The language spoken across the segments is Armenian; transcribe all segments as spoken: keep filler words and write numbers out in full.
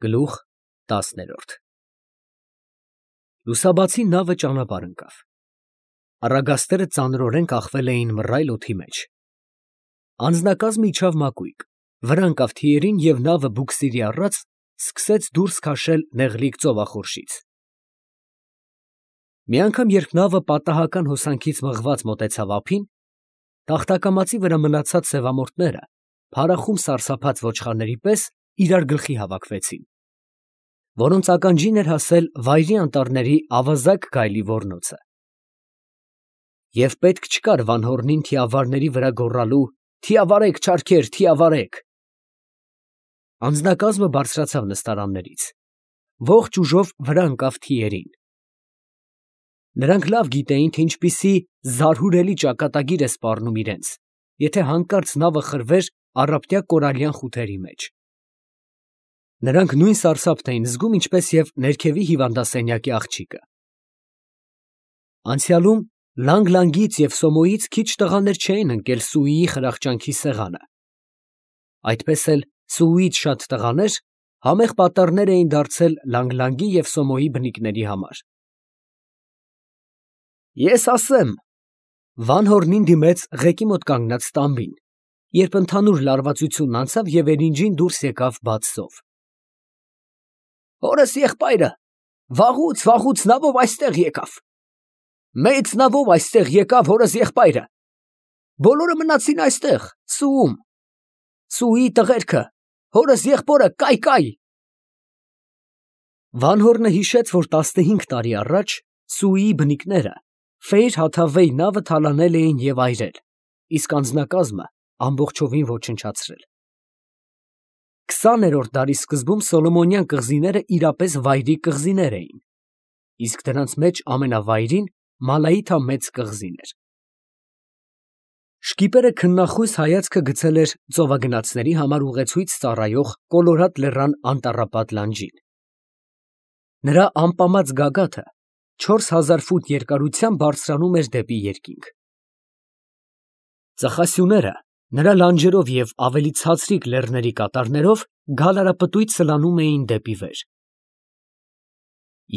Գլուխ տասներորդ Լուսաբացի նավը ճանապարհ ընկավ։ Առագաստերը ծանրորեն կախվել էին մռայլ օդի մեջ։ Անձնակազմը իջավ մակույկ, վրա ընկավ թիերին և նավը բուքսիրի առած սկսեց դուրս քաշել նեղլիկ ծովախորշից։ Մի անգամ, երբ նավը պատահական հոսանքից մղված մոտեցավ ափին, տախտակամածի վրա մնացած սևամորթները փարախում սարսափած ոչխարների պես իրար գլխի հավաքվեցին, որոնց ականջին էր հասել վայրի անտառների ավազակ գայլի ոռնոցը։ Եվ պետք չկար Վանհոռնին թիավարների վրա գոռալու. «Թիավարեք, չարքեր, թիավարեք»։ Անձնակազմը բարձրացավ նստարաններից, ողջ ուժով վրա ընկավ թիերին։ Նրանք լավ գիտեին, թե ինչպիսի զարհուրելի ճակատագիր է սպառնում իրենց, եթե հանկարծ նավը խրվեր առափտյա կորալյան խութերի մեջ։ Նրանք նույն սարսափն էին զգում, ինչպես և ներքևի հիվանդասենյակի աղջիկը։ Անցյալում Լանգ֊Լանգից և Սոմոյից քիչ տղաներ չէին ընկել Սուիի խրախճանքի սեղանը, այդպես էլ Սուուից շատ տղաներ համեղ պատառներ էին դարձել Լանգ֊Լանգի և Սոմոյի բնիկների համար։ Ես ասեմ, ֊ Վանհոռնին դիմեց ղեկի մոտ կանգնած տամբին, երբ ընդհանուր լարվածությունն անցավ և էրինջին դուրս եկավ բաց զով։ Հորս եղբայրը վաղուց, վաղուց նավով այստեղ եկավ, մեծ նավով այստեղ եկավ հորս եղբայրը, բոլորը մնացին այստեղ Սուում, Սուի տղերքը, հորս եղբորը կայ֊կայ։ Վանհոռնը հիշեց, որ տասնհինգ տարի առաջ Սուիի բնիկները Ֆեյր֊Հաթավեյ նավը թալանել էին և այրել, իսկ անձնակազմը ամբողջովին ոչնչացրել։ Քսաներորդ դարի սկզբում Սոլոմոնյան կղզիները իրապես վայրի կղզիներ էին, իսկ դրանց մեջ ամենավայրին Մալայիթա մեծ կղզին էր։ Շկիպերը քննախույս հայացքը գցել էր ծովագնացների համար ուղեցույց ծառայող Կոլորադ լեռան անտառապատ լանջին։ Նրա ամպամած գագաթը չորս հազար ֆուտ երկարությամբ բարձրանում էր դեպի երկինք։ Ծխասյուները նրա լանջերով և ավելի ցածրիկ լեռների կատարներով գալարապտույտ սլանում էին դեպի վեր։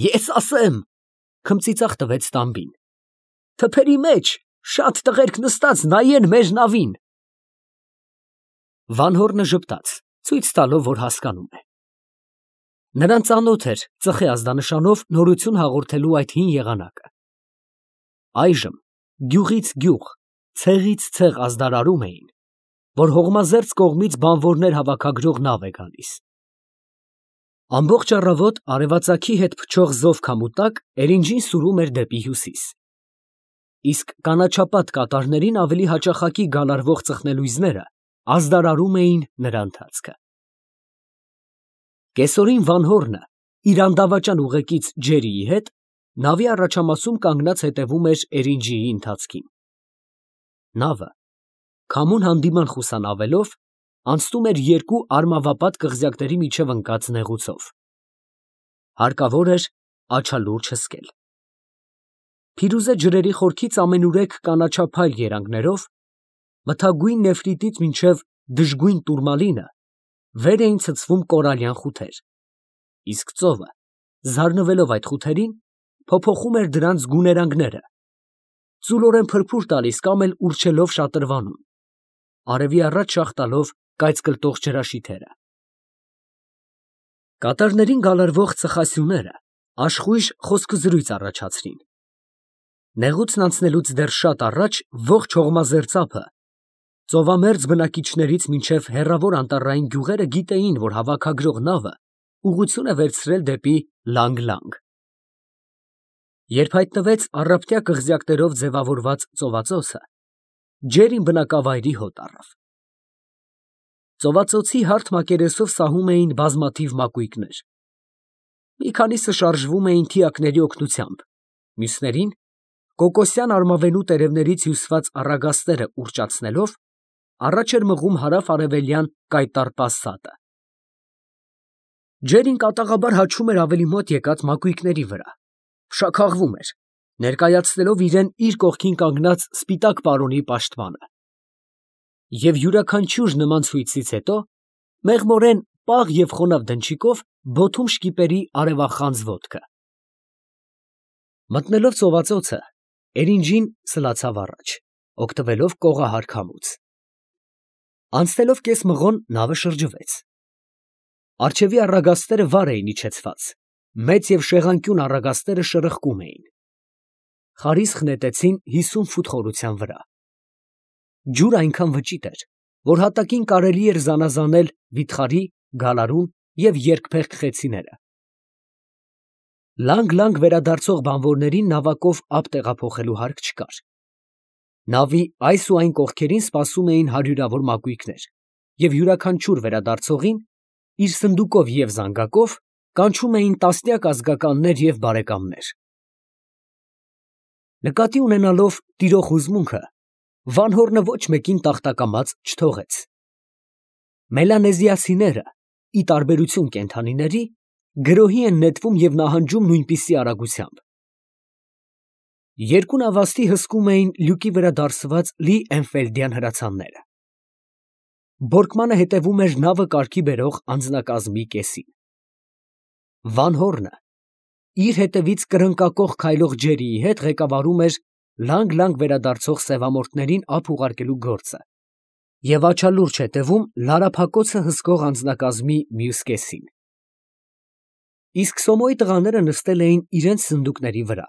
Ես ասեմ, ֊ քմծիծաղ տվեց տամբին, ֊ թփերի մեջ շատ տղերք նստած նայեն մեր նավին։ Վանհոռնը ժպտաց, ցույց տալով, որ հասկանում է։ Նրան ծանոթ էր ծխի ազդանշանով նորություն հաղորդելու այդ հին եղանակը։ Այժմ գյուղից գյուղ, ցեղից ցեղ ազդարարում էին, որ հողմազերծ կողմից բանվորներ հավաքագրող նավ է գալիս։ Ամբողջ առավոտ արևածագի հետ փչող զով քամու տակ էրինջին սուրում էր դեպի հյուսիս, իսկ կանաչապատ կատարներին ավելի հաճախակի գալարվող ծխնելույզները ազդարարում էին նրա ընթացքը։ Կեսօրին Վանհոռնը իր անդավաճան ուղեկից Ջերիի հետ նավի առաջամասում կանգնած հետևում էր էրինջիի ընթացքին։ Նավը, քամուն հանդիման խուսանավելով, անցնում էր երկու արմավապատ կղզյակների միջև ընկած նեղուցով։ Հարկավոր էր աչալուրջ հսկել։ Փիրուզե ջրերի խորքից ամենուրեք կանաչափայլ երանգներով, մթագույն նեֆրիտից մինչև դժգույն տուրմալինը վեր էին ցցվում կորալյան խութեր, իսկ ծովը, զարնվելով այդ խութերին, փոփոխում էր դրանց գուներանգները, ծուլորեն փրփուր տալիս կամ էլ ուռչելով շատրվանում, արևի առաջ շաղ տալով կայծկլտող ջրաշիթերը։ Կատարներին գալարվող ծխասյուները աշխույժ խոսքզրույց առաջացրին։ Նեղուցն անցնելուց դեռ շատ առաջ ողջ հողմազերծ ափը, ծովամերձ բնակիչներից մինչև հեռավոր անտառային գյուղերը գիտեին, որ հավաքագրող նավը ուղղություն է վերցրել դեպի Լանգ֊Լանգ։ Երբ հայտնվեց առափտյա կղզյակներով ձևավորված ծովածոցը, Ջերին բնակավայրի հոտ առավ։ Ծովածոցի հարթ մակերեսով սահում էին բազմաթիվ մակույկներ։ Մի քանիսը շարժվում էին թիակների օգնությամբ, մյուսներին կոկոսյան արմավենու տերևներից հյուսված առագաստերը ուռճացնելով, առաջ էր մղում հարավ֊արևելյան կայտառ պասատը։ Ջերին կատաղաբար հաչում էր ավելի մոտ եկած մակույկների վրա, փշաքաղվում էր, ներկայացնելով իրան իր կողքին կանգնած սպիտակ պարոնի պաշտպանը։ Եվ յուրաքանչյուր նման ցույցից հետո մեղմորեն պաղ և խոնավ դնչիկով բոթում շկիպերի արևախանձ ոտքը։ Մտնելով ծովածոցը, Էրինջին սլացավ առաջ, օգտվելով կողահար քամուց։ Անցնելով կես մղոն, նավը շրջվեց։ Առջևի առագաստերը վար էին իջեցված, մեծ և շեղանկյուն առագաստերը շրխկում էին։ Խարիսխ նետեցին հիսուն ֆուտ խորության վրա։ Ջուրը այնքան վճիտ էր, որ հատակին կարելի էր զանազանել վիթխարի, գալարուն և երկփեղկ խեցիները։ Լանգ֊լանգ վերադարձող բանվորներին նավակով ափ տեղափոխելու հարկ չկար։ Նավի այս ու այն կողքերին սպասում էին հարյուրավոր մակույկներ, և յուրաքանչյուր վերադարձողին իր սնդուկով և զանգակով կանչում էին տասնյակ ազգականներ և բարեկամներ։ Նկատի ունենալով տիրող հուզմունքը, Վանհորնը ոչ մեկին տախտակամած չթողեց։ Մելանեզիացիները, ի տարբերություն կենդանիների, գրոհի են նետվում և նահանջում նույնպիսի արագությամբ։ Երկու նավաստի հսկում էին լյուկի վրա դարսված լի էնֆելդյան հրացանները։ Բորկմանը հետևում էր նավը կարգի բերող անձնակազմի կեսին։ Վանհորնը իր հետևից կրնկակոխ քայլող Ջերիի հետ ղեկավարում էր լանգ֊լանգ վերադարձող սևամորթներին ափ ուղարկելու գործը և աչալուրջ հետևում լարափակոցը հսկող անձնակազմի մյուս կեսին։ Իսկ Սոմոյի տղաները նստել էին իրենց սնդուկների վրա,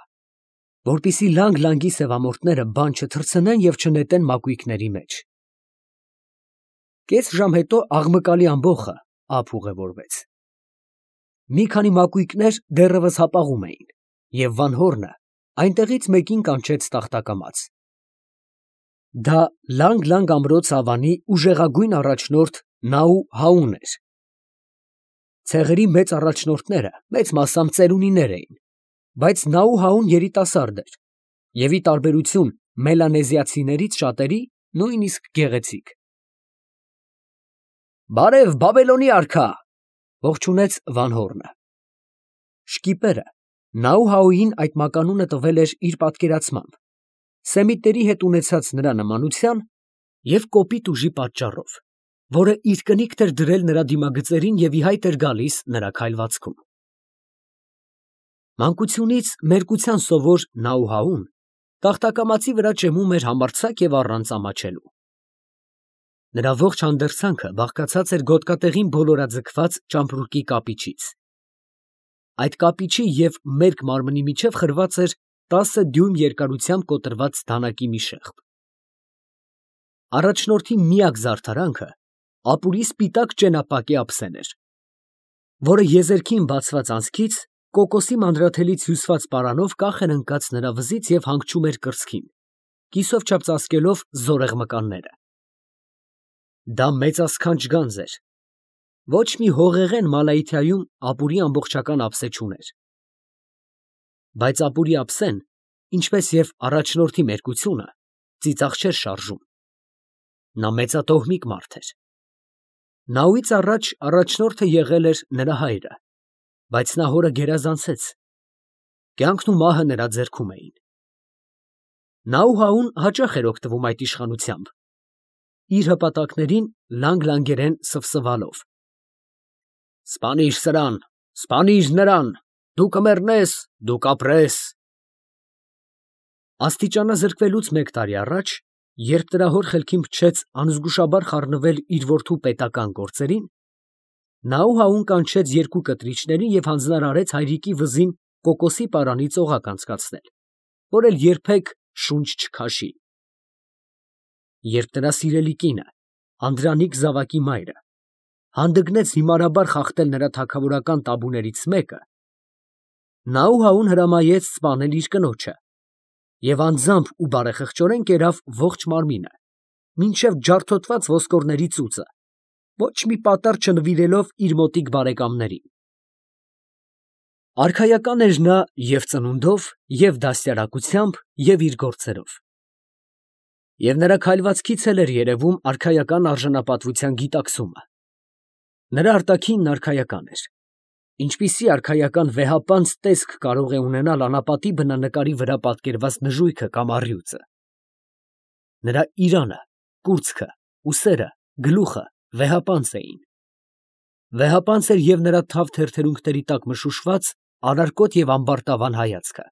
որպեսզի լանգ֊լանգի սևամորթները բան չթռցնեն և չնետեն մակույկների մեջ։ Կես ժամ հետո աղմկալի ամբոխը ափ ուղևորվեց։ Մի քանի մակույկներ դեռևս հապաղում էին, և Վանհորնը այնտեղից մեկին կանչեց տախտակամած։ Դա լանգ֊լանգ ամրոց ավանի ուժեղագույն առաջնորդ Նաու֊Հաուն էր։ Ցեղերի մեծ առաջնորդները մեծ մասամբ ծերունիներ էին, բայց Նաու֊Հաուն երիտասարդ էր և, ի տարբերություն մելանեզիացիներից շատերի, նույնիսկ գեղեցիկ։ «Բարև, Բաբելոնի արքա, ֊ ողջունեց Վանհորնը։ Շկիպերը Նաու֊Հաուին այդ մականունը տվել էր իր պատկերացմամբ, սեմիտների հետ ունեցած նրա նմանության և կոպիտ ուժի պատճառով, որը իր կնիքն էր դրել նրա դիմագծերին և ի հայտ էր գալիս նրա քայլվածքում։ Մանկությունից մերկության սովոր Նաու֊Հաուն տախտակամածի վրա ճեմում էր համարձակ և առանց ամաչելու։ Նրա ողջ հանդերձանքը բաղկացած էր գոտկատեղին բոլորաձգված ճամպրուկի կապիչից։ Այդ կապիչի և մերկ մարմնի միջև խրված էր տասը դյույմ երկարությամբ կոտրված դանակի մի շեղբ։ Առաջնորդի միակ զարդարանքը ապուրի սպիտակ ճենապակյա ափսեն էր, որը եզերքին բացված անցքից կոկոսի մանրաթելից հյուսված պարանով կախ էր ընկած նրա վզից և հանգչում էր կրծքին, կիսով չափ ծածկելով զորեղ մկանները։ Դա մեծասքանչ գանձ էր։ Ոչ մի հողեղեն Մալայիթայում ապուրի ամբողջական ափսե չուներ։ Բայց ապուրի ափսեն, ինչպես և առաջնորդի մերկությունը, ծիծաղ չէր շարժում։ Նա մեծատոհմիկ մարդ էր։ Նաուից առաջ առաջնորդը եղել էր նրա հայրը, բայց նա հորը գերազանցեց։ Կյանքն ու մահը նրա ձեռքում էին։ Նաու֊Հաուն հաճախ էր օգտվում այդ իշխանությամբ, իր հպատակներին լանգ֊լանգերեն սվսվալով. «Սպանիր սրան, սպանիր նրան, դու կմեռնես, դու կապրես»։ Աստիճանազրկվելուց մեկ տարի առաջ, երբ նրա հոր խելքին փչեց անզգուշաբար խառնվել իր որդու պետական գործերին, Նաու֊Հաուն կանչեց երկու կտրիչների և հանձնարարեց հայրիկի վզին կոկոսի պարանից օղակ անցկացնել, որ էլ երբեք շունչ չքաշի։ Երբ նրա սիրելի կինը, Անդրանիկ զավակի մայրը, հանդգնեց հիմարաբար խախտել նրա թագավորական տաբուներից մեկը, Նաու֊Հաուն հրամայեց սպանել իր կնոջը և անձամբ ու բարեխղճորեն կերավ ողջ մարմինը, մինչև ջարդոտված ոսկորների ծուծը, ոչ մի պատառ չնվիրելով իր մոտիկ բարեկամներին։ Արքայական էր նա և ծնունդով, և դաստիարակությամբ, և իր գործերով։ Եվ նրա քայլվածքից էլ էր երևում արքայական արժանապատվության գիտակցումը։ Նրա արտաքինն արքայական էր, ինչպիսի արքայական վեհապանծ տեսք կարող է ունենալ անապատի բնանկարի վրա պատկերված նժույգը կամ առյուծը։ Նրա իրանը, կուրծքը, ուսերը, գլուխը վեհապանծ էին։ Վեհապանծ էր և նրա թավ թերթերունքների տակ մշուշված անարկոտ և ամբարտավան հայացքը։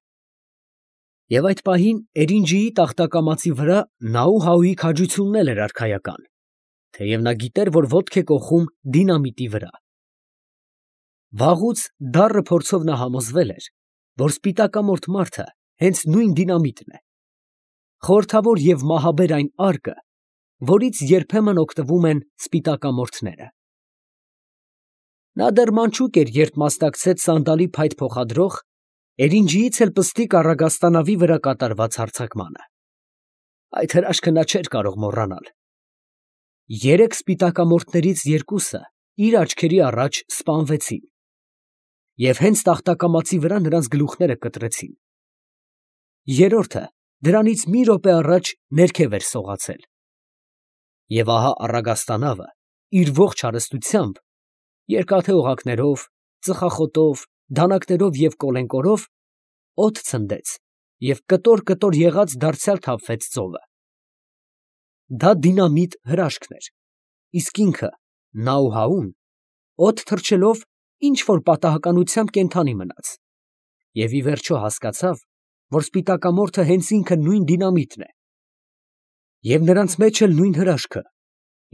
Եվ այդ պահին Էրինջիի տախտակամածի վրա Նաուհաուի քաջությունն էլ էր արքայական, թեև նա գիտեր, որ ոտք է կոխում դինամիտի վրա։ Վաղուց դառը փորձով նա համոզվել էր, որ սպիտակամորթ մարդը հենց նույն դինամիտն է, խորհրդավոր և մահաբեր այն արկը, որից երբեմն օգտվում են սպիտակամորթները։ Նա դեռ մանչուկ էր, երբ մասնակցեց սանդալի փայտ փոխադրող, Էրինջիից էլ պստիկ առագաստանավի վրա կատարված հարձակմանը։ Այդ հրաշքը նա չէր կարող մոռանալ։ Երեք սպիտակամորթներից երկուսը իր աչքերի առաջ սպանվեցին, և հենց տախտակամածի վրա նրանց գլուխները կտրեցին։ Երրորդը դրանից մի րոպե առաջ ներքև էր սողացել։ Եվ ահա առագաստանավը իր ողջ հարստությամբ, երկաթե օղակներով, ծխախոտով, դանակներով և կոլենկորով, օդ ցնդեց և կտոր֊կտոր եղած դարձյալ թափվեց ծովը։ Դա դինամիտ հրաշքն էր, իսկ ինքը՝ Նաուհաուն, օդ թռչելով ինչ֊որ պատահականությամբ կենդանի մնաց և ի վերջո հասկացավ, որ սպիտակամորթը հենց ինքը նույն դինամիտն է, և նրանց մեջ էլ նույն հրաշքը,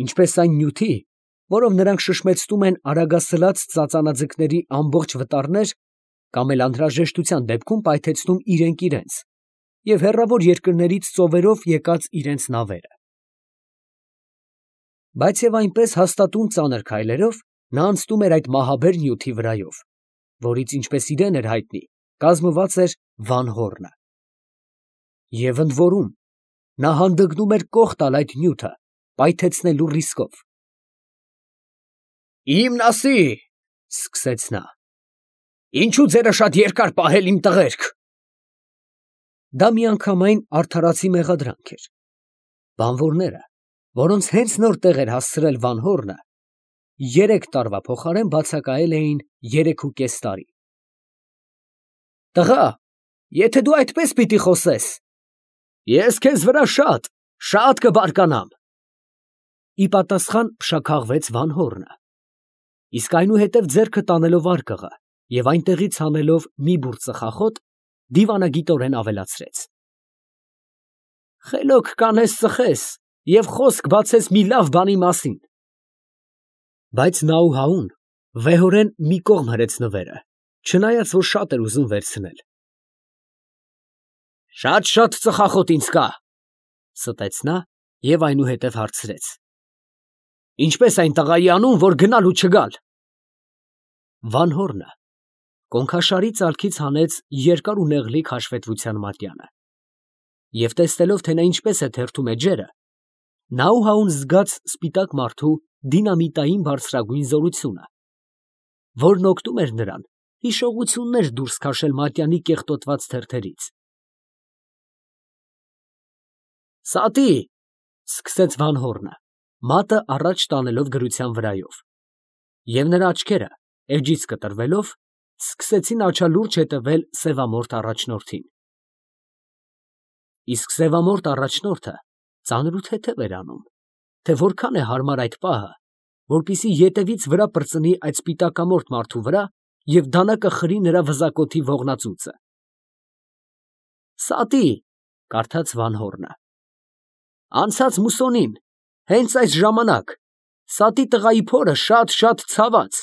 ինչպես այն նյութի, որով նրանք շշմեցնում են արագասլաց ծածանաձկների ամբողջ վտարներ կամ էլ անհրաժեշտության դեպքում պայթեցնում իրենք իրենց և հեռավոր երկրներից ծովերով եկած իրենց նավերը։ Բայց և այնպես հաստատուն ծանր քայլերով նա անցնում էր այդ մահաբեր նյութի վրայով, որից, ինչպես իրեն էր հայտնի, կազմված էր Վանհոռնը։ Եվ ընդ որում, նա հանդգնում էր կոխ տալ այդ նյութը պայթեցնելու ռիսկով։ «Իմ նասի, ֊ սկսեց նա, ֊ ինչո՞ւ ձերը շատ երկար պահել իմ տղերք»։ Դա միանգամայն արդարացի մեղադրանք էր։ Բանվորները, որոնց հենց նոր տեղ էր հասցրել Վանհոռնը, երեք տարվա փոխարեն բացակայել էին երեքուկես տարի։ «Տղա, եթե դու այդպես պիտի խոսես, ես քեզ վրա շատ, շատ կբարկանամ», ֊ ի պատասխան փշաքաղվեց Վանհոռնը, իսկ այնուհետև ձեռքը տանելով արկղը և այնտեղից հանելով մի բուռ ծխախոտ, դիվանագիտորեն ավելացրեց. «Խելոք կանես ծխես և խոսք բացես մի լավ բանի մասին»։ Բայց Նաուհաուն վեհորեն մի կողմ հրեց նվերը, չնայած որ շատ էր ուզում վերցնել։ «Շատ֊շատ ծխախոտ ինձ կա, ֊ ստեց նա և այնուհետև հարցրեց. ֊ ինչպե՞ս այն տղայի անուն, որ գնալ ու չգալ։ Վանհոռնը կոնքաշարի ծալքից հանեց երկար ու նեղլիկ հաշվետվության մատյանը, և տեսնելով, թե նա ինչպես է թերթում է ջերը, Նաուհաուն զգաց սպիտակ մարդու դինամիտային բարձրագույն զորությունը, որն օգնում էր նրան հիշողություններ դուրս քաշել մատյանի կեղտոտված թերթերից։ «Սատի, ֊ սկսեց Վանհոռնը, մատը առաջ տանելով գրության վրայով, և նրա աչքերը, էջից կտրվելով, սկսեցին աչալուրջ հետևել սևամորթ առաջնորդին։ Իսկ սևամորթ առաջնորդը ծանրութեթև էր անում, թե որքան է հարմար այդ պահը, որպեսզի ետևից վրա պրծնի այդ սպիտակամորթ մարդու վրա և դանակը խրի նրա վզակոթի ողնածուծը։ «Սատի, ֊ կարդաց Վանհոռնը, ֊ անցած մուսոնին, հենց այս ժամանակ, Սատի տղայի փորը շատ֊շատ ցաված,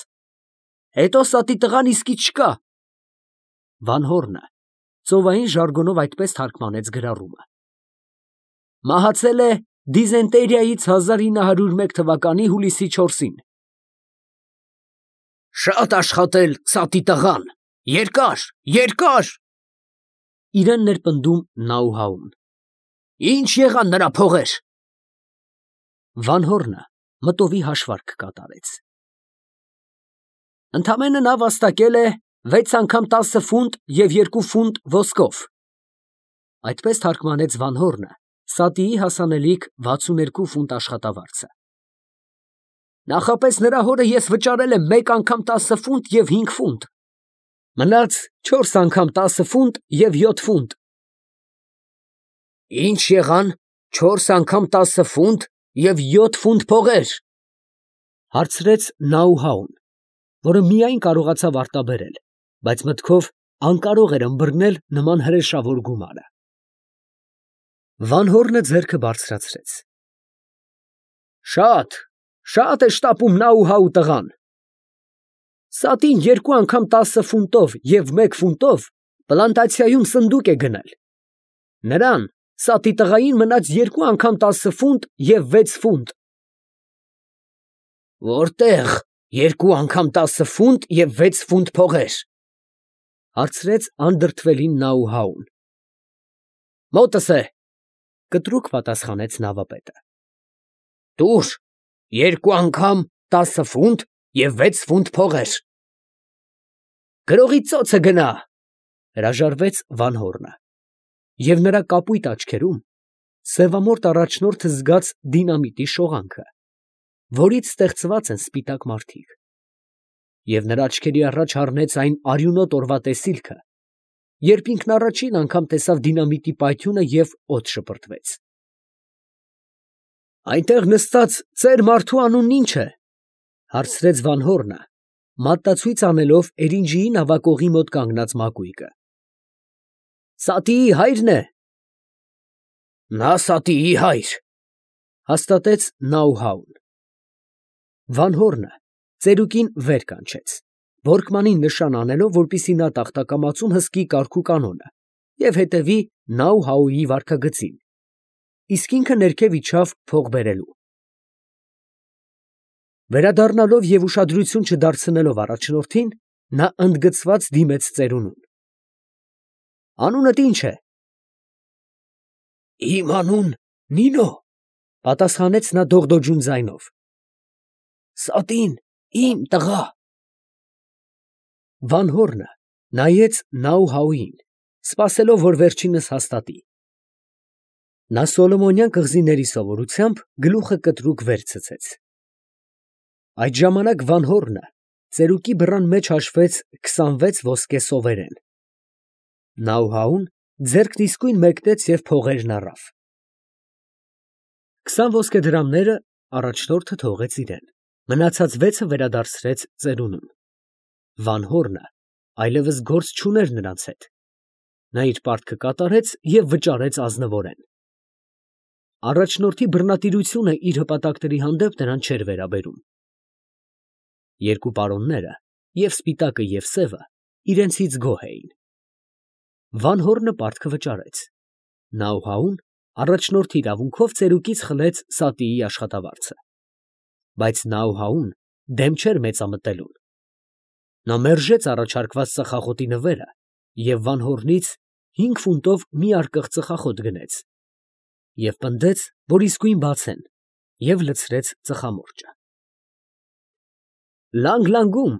հետո Սատի տղան իսկի չկա»։ Վանհոռնը ծովային ժարգոնով այդպես թարգմանեց գրառումը. «Մահացել է դիզենտերիայից հազար ինը հարյուր մեկ թվականի հուլիսի չորսին»։ «Շատ աշխատել Սատի տղան, երկար, երկար, ֊ իրեն ներպնդում Նաուհաուն, ֊ ինչ եղան նրա փողեր»։ Վանհոռնը մտովի հաշվարկ կատարեց. «Ընդամենը նա վաստակել է վեց անգամ տասը ֆունտ և երկու ֆունտ ոսկով», ֊ այդպես թարգմանեց Վանհոռնը Սատիի հասանելիք վաթսունութ ֆունտ աշխատավարձը։ «Նախապես նրա հորը ես վճարել եմ մեկ անգամ տասը ֆունտ և հինգ ֆունտ, մնաց չորս անգամ տասը ֆունտ և յոթ ֆունտ»։ «Ի՞նչ եղան չորս անգամ տասը ֆունտ և յոթ ֆունտ փողեր», ֊ հարցրեց Նաուհաուն, որը միայն կարողացավ արտաբերել, բայց մտքով անկարող էր ըմբռնել նման հրեշավոր գումարը։ Վանհորնը ձեռքը բարձրացրեց։ Շատ, շատ է շտապում Նաուհաու տղան։ Սատին երկու անգամ տասը ֆունտով և մեկ ֆունտով պլանտացիայում սնդուկ է գնել։ Նրան, Սատի տղային, մնաց երկու անգամ տասը ֆունտ և վեց ֆունտ։ Որտե՞ղ երկու անգամ տասը ֆունտ և վեց ֆունտ փողեր, հարցրեց անդրդվելին Նաուհաուն։ Մոտս է, կտրուկ պատասխանեց նավապետը։ Տուր երկու անգամ տասը ֆունտ և վեց ֆունտ փողեր։ Գրողի ծոցը գնա, հրաժարվեց Վանհորնը, և նրա կապույտ աչքերում սևամորթ առաջնորդը զգաց դինամիտի շողանքը, որից ստեղծված են սպիտակ մարդիկ, և նրա աչքերի առաջ հառնեց այն արյունոտ օրվա տեսիլքը, երբ ինքն առաջին անգամ տեսավ դինամիտի պայթյունը և օդ շպրտվեց։ Այնտեղ նստած ծեր մարդու անունն ի՞նչ է, հարցրեց Վանհորնը, մատնացույց անելով էրինջիի նավակողի մոտ կանգնած մակույկը։ Սատիի հայրն է։ Նա Սատիի հայր, հաստատեց Նաուհաուն։ Վանհորնը ծերուկին վեր կանչեց, որկմանին նշան անելով, որպեսզի նա տախտակամածում հսկի կարգ ու կանոնը և հետևի Նաուհաուի վարքագծին, իսկ ինքը ներքև իջավ փող բերելու։ Վերադառնալով և ուշադրություն չդարձնելով առաջնորդին, նա ընդգծված դիմեց ծերունուն։ Անունդ ի՞նչ է։ Իմ անուն Նինո, պատասխանեց նա դողդոջուն ձայնով։ Սատին իմ տղա։ Վանհորնը նայեց Նաուհաուին, սպասելով, որ վերջինս հաստատի։ Նա սոլոմոնյան կղզիների սովորությամբ գլուխը կտրուկ վեր ցցեց։ Այդ ժամանակ Վանհորնը ծերուկի բռան մեջ հաշվեց քսանվեց ոսկե սովերեն։ Նաուհաուն ձեռքն իսկույն մեկնեց և փողերն առավ։ Քսան ոսկե դրամները առաջնորդը թողեց իրան, մնացած վեցը վերադարձրեց ծերունուն։ Վանհորնը այլևս գործ չուներ նրանց հետ։ Նա իր պարտքը կատարեց և վճարեց ազնվորեն։ Առաջնորդի բռնատիրությունը իր հպատակների հանդեպ նրան չէր վերաբերում։ Երկու պարոնները, և սպիտակը, և սևը, իրենցից գոհ էին։ Վանհորնը պարտքը վճարեց։ Նաուհաուն առաջնորդի իրավունքով ծերուկից խլեց Սատիի աշխատավարձը։ Բայց Նաուհաուն դեմ չէր մեծամտելուն։ Նա մերժեց առաջարկված ծխախոտի նվերը և Վանհորնից հինգ ֆունտով մի արկղ ծխախոտ գնեց և պնդեց, որ իսկույն բացեն, և լցրեց ծխամորճը։ Լանգ֊լանգում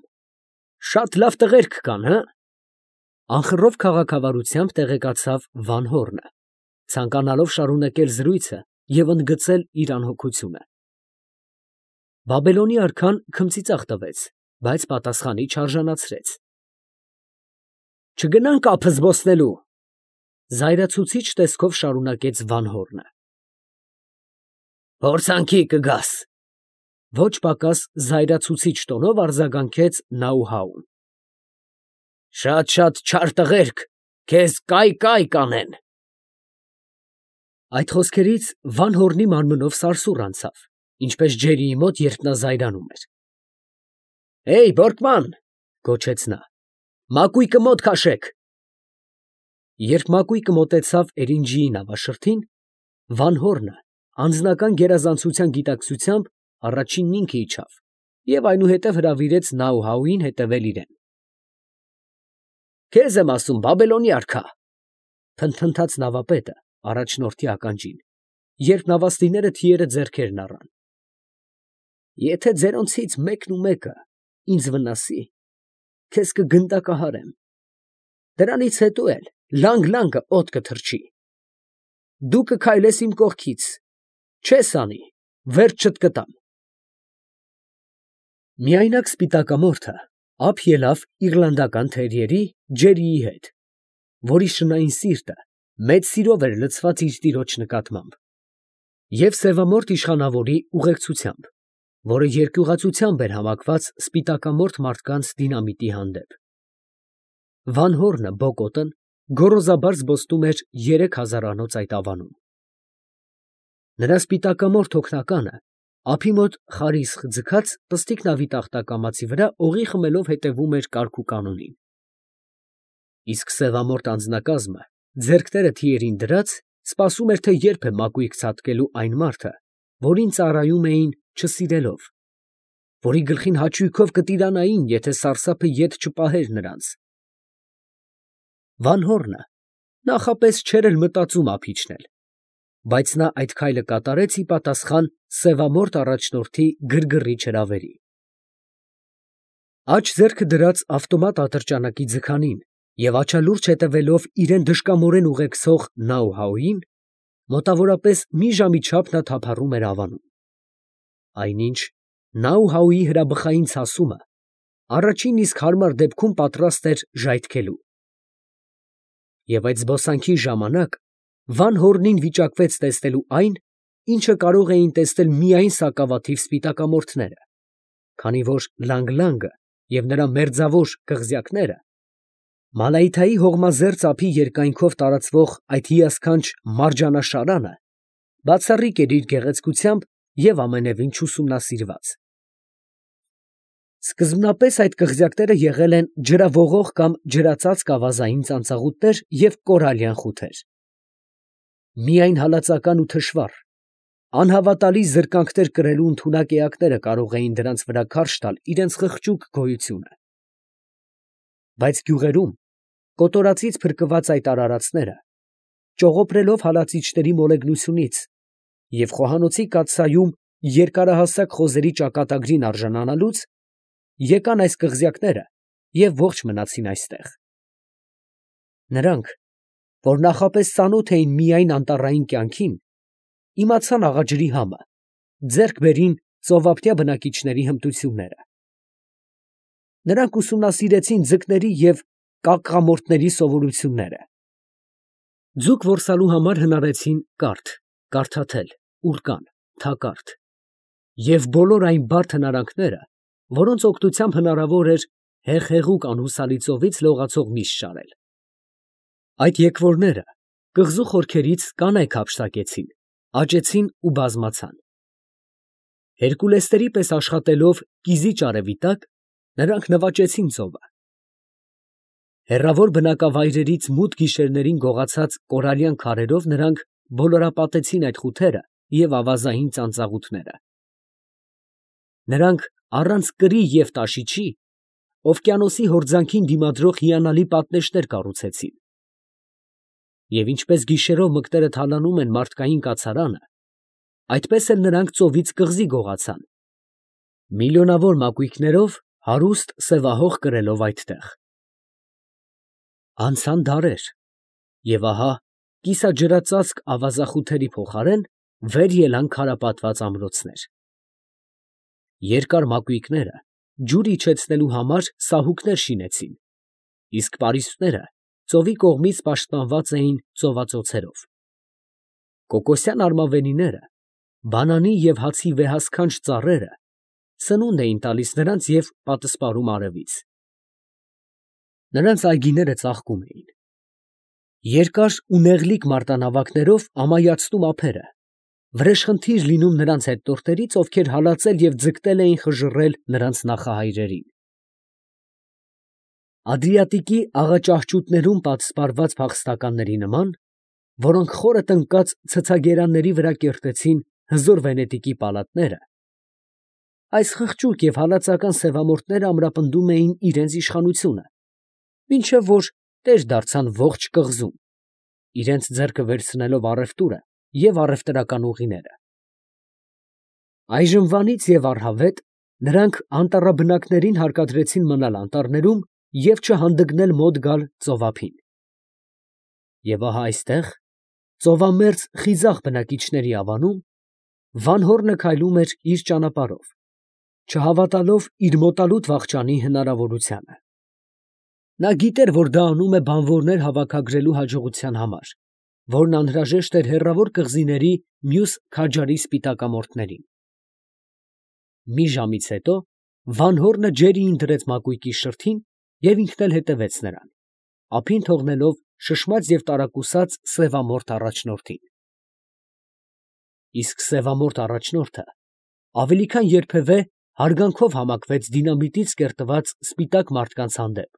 շատ լավ տղերք կան, հը՞, անխռով քաղաքավարությամբ տեղեկացավ Վանհորնը, ցանկանալով շարունակել զրույցը և ընդգծել իր անհոգությունը։ Բաբելոնի արքան քմծիծաղ տվեց, բայց պատասխանի չարժանացրեց։ Չգնանք ափը զբոսնելու, զայրացուցիչ տեսքով շարունակեց Վանհորնը։ Փորձանքի կգաս, ոչ պակաս զայրացուցիչ տոնով արձագանքեց Նաուհաուն։ Շատ֊շատ չար տղերք քեզ կայ֊կայ կանեն։ Այդ խոսքերից Վանհորնի մարմնով սարսուռ անցավ, ինչպես ջերիի մոտ, երբ նա զայրանում էր։ Հեյ, Բորկման, գոչեց նա, մակույկը մոտ քաշեք։ Երբ մակույկը մոտեցավ էրինջիի նավաշրթին, Վանհորնը անձնական գերազանցության գիտակցությամբ առաջինն ինքը իջավ և այնուհետև հրավիրեց Նաուհաուին հետևել իրան։ Քեզ եմ ասում, Բաբելոնի արքա, փնթփնթաց նավապետը առաջնորդի ականջին, երբ նավաստիները թիերը ձեռքերն առան։ Եթե ձերոնցից մեկն ու մեկը ինձ վնասի, քեզ կգնդակահարեմ, դրանից հետո էլ լանգ֊լանգը օդ կթռչի։ Դու կքայլես իմ կողքից, չես անի, վերջ չտկտամ։ Միայնակ սպիտակամորթը ափ ելավ իռլանդական թերիերի Ջերիի հետ, որի շնային սիրտը մեծ սիրով էր լցված իր տիրոջ նկատմամբ, և սևամորթ իշխանավորի ուղեկցությամբ, որը երկյուղացությամբ էր հավաքված սպիտակամորթ մարդկանց դինամիտի հանդեպ։ Վան Հորնը Բոկոտն գոռոզաբար զբոսնում էր երեք հազարանոց այդ ավանում։ Նրա սպիտակամորթ օգնականը ափի մոտ խարիսխ ձգած պստիկ նավի տախտակամածի վրա օղի խմելով հետևում էր կարգուկանոնին։ Իսկ սևամորթ անձնակազմը ձեռքները թիերին դրած սպասում էր, թե երբ է մակույկը ցատկելու այն մարդը, որին ծառայում էին չսիրելով, որի գլխին հաճույքով կտիրանային, եթե սարսափը ետ չպահեր նրանց։ Վան Հորնը նախապես չէր էլ մտածում ափ իջնել, բայց նա այդ քայլը կատարեց ի պատասխան սևամորթ առաջնորդի գրգռիչ հրավերի։ Աջ ձեռքը դրած ավտոմատ ատրճանակի ձգանին և աչալուրջ հետևելով իրեն դժկամորեն ուղեկցող Նաուհաուին, մոտավորապես մի ժամի չափ նա թափառում էր ավանում։ Այնինչ Նաուհաուի հրաբխային ցասումը առաջին իսկ հարմար դեպքում պատրաստ էր ժայթքելու։ Եվ այդ զբոսանքի ժամանակ Վան Հորնին վիճակվեց տեսնելու այն, ինչը կարող էին տեսնել միայն սակավաթիվ սպիտակամորթները, քանի որ Լանգ֊Լանգը և նրա մերձավոր կղզյակները, Մալայթայի հողմազերծ ափի երկայնքով տարածվող այդ հիասքանչ մարջանաշարանը, բացառիկ էր իր գեղեցկությամբ և ամենևին չուսումնասիրված։ Սկզբնապես այդ կղզյակները եղել են ջրավողող կամ ջրածածկ ավազային ծանծաղուտներ և կորալյան խութեր։ Միայն հալածական ու թշվառ, անհավատալի զրկանքներ կրելու ընդունակ էակները կարող էին դրանց վրա քարշ տալ իրենց խղճուկ գոյությունը։ Բայց գյուղերում կոտորածից փրկված այդ արարածները, ճողոպրելով հալածիչների մոլեգնությունից և խոհանոցի կաթսայում երկարահասակ խոզերի ճակատագրին արժանանալուց, եկան այս կղզյակները և ողջ մնացին այստեղ։ Նրանք, որ նախապես ծանոթ էին միայն անտառային կյանքին, իմացան աղաջրի համը, ձեռք բերին ծովափնյա բնակիչների հմտությունները։ Նրանք ուսումնասիրեցին ձկների և կակղամորթների սովորությունները։ Ձուկ որսալու համար հնարեցին կարթ, կարթաթել, ուռկան, թակարդ և բոլոր այն բարդ հնարանքները, որոնց օգնությամբ հնարավոր էր հեղհեղուկ անհուսալի ծովից լողացող միշ շարել։ Այդ եկվորները կղզու խորքերից կանայք հափշտակեցին, աճեցին ու բազմացան։ Հերկուլեսների պես աշխատելով կիզիչ արևի տակ, նրանք նվաճեցին ծովը։ Հեռավոր բնակավայրերից մութ գիշերներին գողացած կորալյան քարերով նրանք բոլորապատեցին այդ խութերը և ավազային ծանծաղուտները։ Նրանք առանց կրի և տաշիչի օվկիանոսի հորձանքին դիմադրող հիանալի պատնեշներ կառուցեցին։ Եվ ինչպես գիշերով մկները թալանում են մարդկային կացարանը, այդպես էլ նրանք ծովից կղզի գողացան, միլիոնավոր մակույկներով հարուստ սևահող կրելով այդտեղ։ Անցան դարեր, և ահա կիսաջրածածկ ավազախութերի փոխարեն վեր ելան քարապատված ամրոցներ։ Երկար մակույկները ջուր իջեցնելու համար սահուկներ շինեցին, իսկ պարիսպները ծովի կողմից պաշտպանված էին ծովածոցերով։ Կոկոսյան արմավենիները, բանանի և հացի վեհասքանչ ծառերը սնունդ էին տալիս նրանց և պատսպարում արևից։ Նրանց այգիները ծաղկում էին։ Երկար ու նեղլիկ մարտանավակներով ամայացնում ափերը, վրեժխնդիր լինում նրանց հետնորդներից, ովքեր հալածել և ձգտել էին խժռել նրանց նախահայրերին։ Ադրիատիկի աղաճահճուտներում պատսպարված փախստականների նման, որոնք խորը տնկած ցցագերանների վրա կերտեցին հզոր վենետիկի պալատները, այս խղճուկ և հալածական սևամորթները ամրապնդում էին իրենց իշխանությունը, մինչև որ տեր դարձան ողջ կղզում, իրենց ձեռքը վերցնելով առևտուրը և առևտրական ուղիները։ Այժմվանից և առհավետ նրանք անտառաբնակներին հարկադրեցին մնալ անտառներում և չհանդգնել մոտ գալ ծովափին։ Եվ ահա այստեղ, ծովամերձ խիզախ բնակիչների ավանում, Վան Հորնը քայլում էր իր ճանապարհով, չհավատալով իր մոտալուտ վախճանի հնարավորությանը։ Նա գիտեր, որ դա անում է բանվորներ հավաքագրելու հաջողության համար, որն անհրաժեշտ էր հեռավոր կղզիների մյուս քաջարի սպիտակամորթներին։ Մի ժամից հետո Վանհորնը Ջերիին դրեց մակույկի շրթին և ինքն էլ հետևեց նրան, ափին թողնելով շշմած և տարակուսած սևամորթ առաջնորդին։ Իսկ սևամորթ առաջնորդը ավելի քան երբևէ հարգանքով համակվեց դինամիտից կերտված սպիտակ մարդկանց հանդեպ,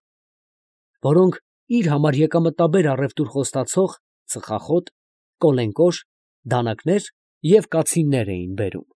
որոնք իր համար եկամտաբեր առևտուր խոստացող ծխախոտ, կոլենկոշ, դանականեր և կացիններ էին բերում։